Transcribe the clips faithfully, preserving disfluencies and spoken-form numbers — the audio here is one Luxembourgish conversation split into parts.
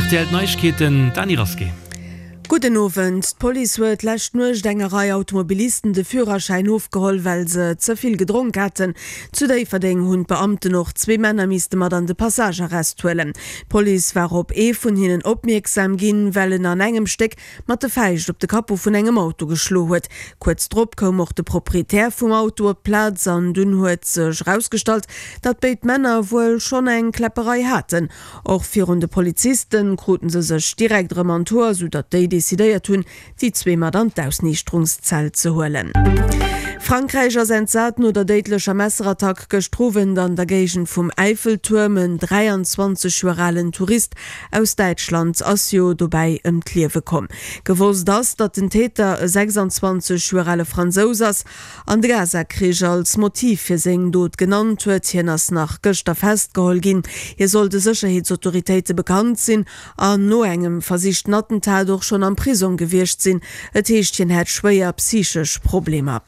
Rtl D'Neiegkeeten, d'Dany Rasqué. Gudden Owend. D'Police huet d'lescht Nuecht enger Rei Automobilisten de Führerschäin ofgeholl, well se ze vill gedronk haten. Zu Déifferdeng hunn d'Beamten och zwee Männer misste mat an de Passagearrest huelen. D'Police war op ee vun hinnen opmierksam ginn, well en an engem Stéck mat de Fäischt op de Capot vun engem Auto geschlo huet. Kuerz drop koum och de Proprietär vum Auto op d'Plaz an dunn huet sech erausgestallt, datt béid Männer wuel schonn eng Kläpperei haten. Och virun de Poliziste kruten se sech direkt erëm an d'Hoer, sou datt déi decidéiert hunn, déi zwee mat an d'Ausniichterungszell ze huelen. Frankräich ass entsat no der déidlecher Messerattack gëschter Owend an der Géigend vum Äiffeltuerm. En dräianzwanzeg Joer alen Tourist aus Däitschland ass jo dobäi ëm d'Liewe komm. Gewosst ass, datt den Täter e sechsanzwanzeg Joer ale Fransous ass an de Gaza-Krich als Motiv fir seng Dot genannt huet. Hien ass nach gëschter festgeholl ginn. Hie soll de Sécherheetsautoritéite bekannt sinn an no engem versichten Attentat och schonn am Prisong gewiescht sinn. Et heescht, hien hätt schwéier psychesch Problemer.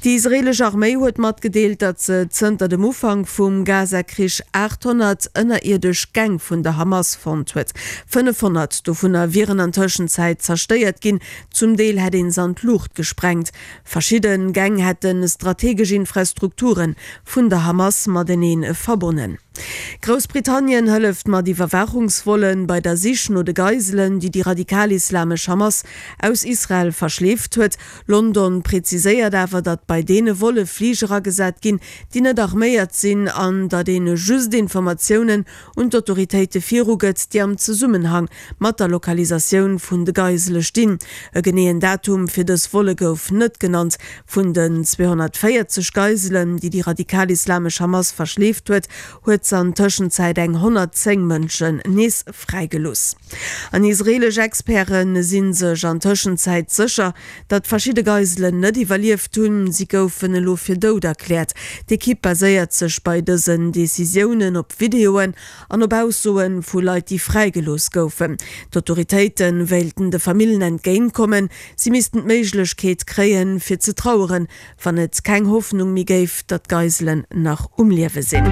Déi israeelesch Arméi huet matgedeelt, datt se zënter dem Ufank vum Gaza-Krich aathonnert ënnerierdesch Gäng vun der Hamas fonnt huet. Fënnefhonnert dovunner wieren an Tëschenzäit zerstéiert ginn, zum Deel hätt een se an d'Luucht gesprengt. Verschidde Gäng hätte strategesch Infrastrukture vun der Hamas matenee verbonnen. Groussbritannien hëlleft mat Iwwerwaachungsvolle bei der Sich no de Geiselen, déi déi radikal-islamesch Hamas aus Israel verschleeft huet. London preziséiert awer, datt bei deene Volle Fliger agesat ginn, déi net arméiert sinn, an datt ee just Informatiounen un d'Autoritéite virugëtt, déi am Zesummenhang mat der Lokalisatioun vun de Geisele stinn. E geneeën Datum fir dës Volle gouf net genannt. Vun den zweehonnertvéierzeg Geiselen, déi déi radikal-islamesch Hamas verschleeft huet, huet se an Tëschenzäit eng honnertzéng Mënschen nees fräigelooss. An israeelesch Experte si sech an Tëschenzäit sécher, datt verschidde Geiselen net iwwerlieft hunn. Si goufen elo fir dout erkläert. D'Ekipp baséiert sech bei dësen Decisiounen op Videoen an op Aussoe vu Leit, déi fräigelooss goufen. D'Autoritéite wéilten de Famillen entgéintkommen. Si missten d'Méiglechkeet kréien, fir ze traueren, wann et keng Hoffnung méi géif, datt d'Geiselen nach um Liewe sinn.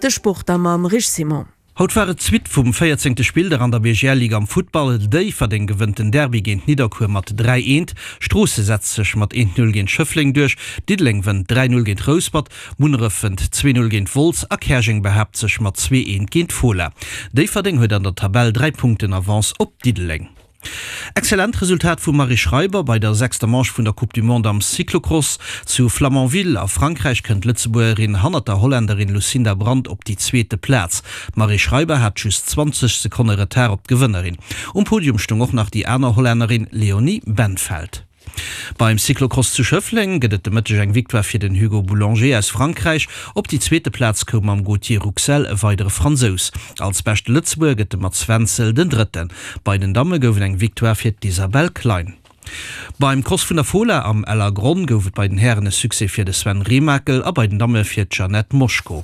De Sport da mam Rich Simon. Haut war et d'Suite vum véierzéngte Spilldag an der B G L Ligue am Futtball. Déifferdeng gewënnt den Derby géint Nidderkuer mat dräi eent. Stroosse setzt sech mat eent Null géint Schëffleng duerch. Diddeleng wënnt dräi Null géint Rouspert. Munneref wënnt zwee Null géint Wolz a Käerjeng behaapt sech mat zwee eent géint Fola. Déifferdeng huet an der Tabell dräi Punkten Avance op Diddeleng. Excellent Resultat vum Marie Schreiber bei der sechster Manche vun der Coupe du Monde am Cyclocross. Zu Flamanville a Frankräich kënnt d'Lëtzebuergerin hannert der Hollännerin Lucinda Brand op déi zweete Plaz. D'Marie Schreiber hat just zwanzeg Sekonne Retard op d'Gewënnerin. Um Podium stoung och nach déi aner Hollännerin Leonie Bentveld. Beim Cyclocross zu Schëffleng gëtt et de Mëtteg eng Victoire fir den Hugo Boulanger aus Frankräich. Op déi zweete Plaz koum mam Gauthier Rouxel e weidere Fransous. Als beschte Lëtzebuerger gëtt de Mats Wenzel den Drëtten. Bei den Damme gouf et eng Victoire fir d'Isabelle Klein. Beim Cross vun der Fola am Ellergronn gouf et bei den Hären e Succès fir de Sven Remakel a bei den Damme fir d'Jeannette Moschko.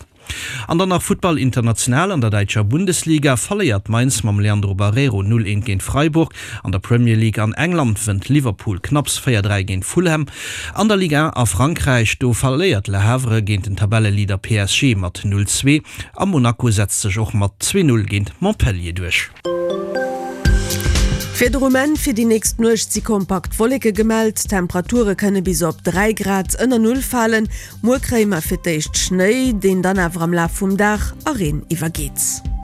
An dann nach Futtball international, An der däitscher Bundesliga verléiert Mainz mam Leandro Barreiro null eent géint Freiburg. An der Premier League an England wënnt Liverpool knapps véier dräi géint Fulham. An der Ligue un a Frankräich, do verléiert Le Havre géint den Tabelleleader P S G mat null zwee a Monaco setzt sech och mat zwee null géint Montpellier duerch. Fir de Moment, Fir déi nächst Nuecht si kompakt Wolleke gemellt, d'Temperature kënne bis op dräi Grad ënner Null falen. Muer kréie mer fir d'éischt Schnéi, deen dann awer am Laf vum Dag a Reen iwwergeet.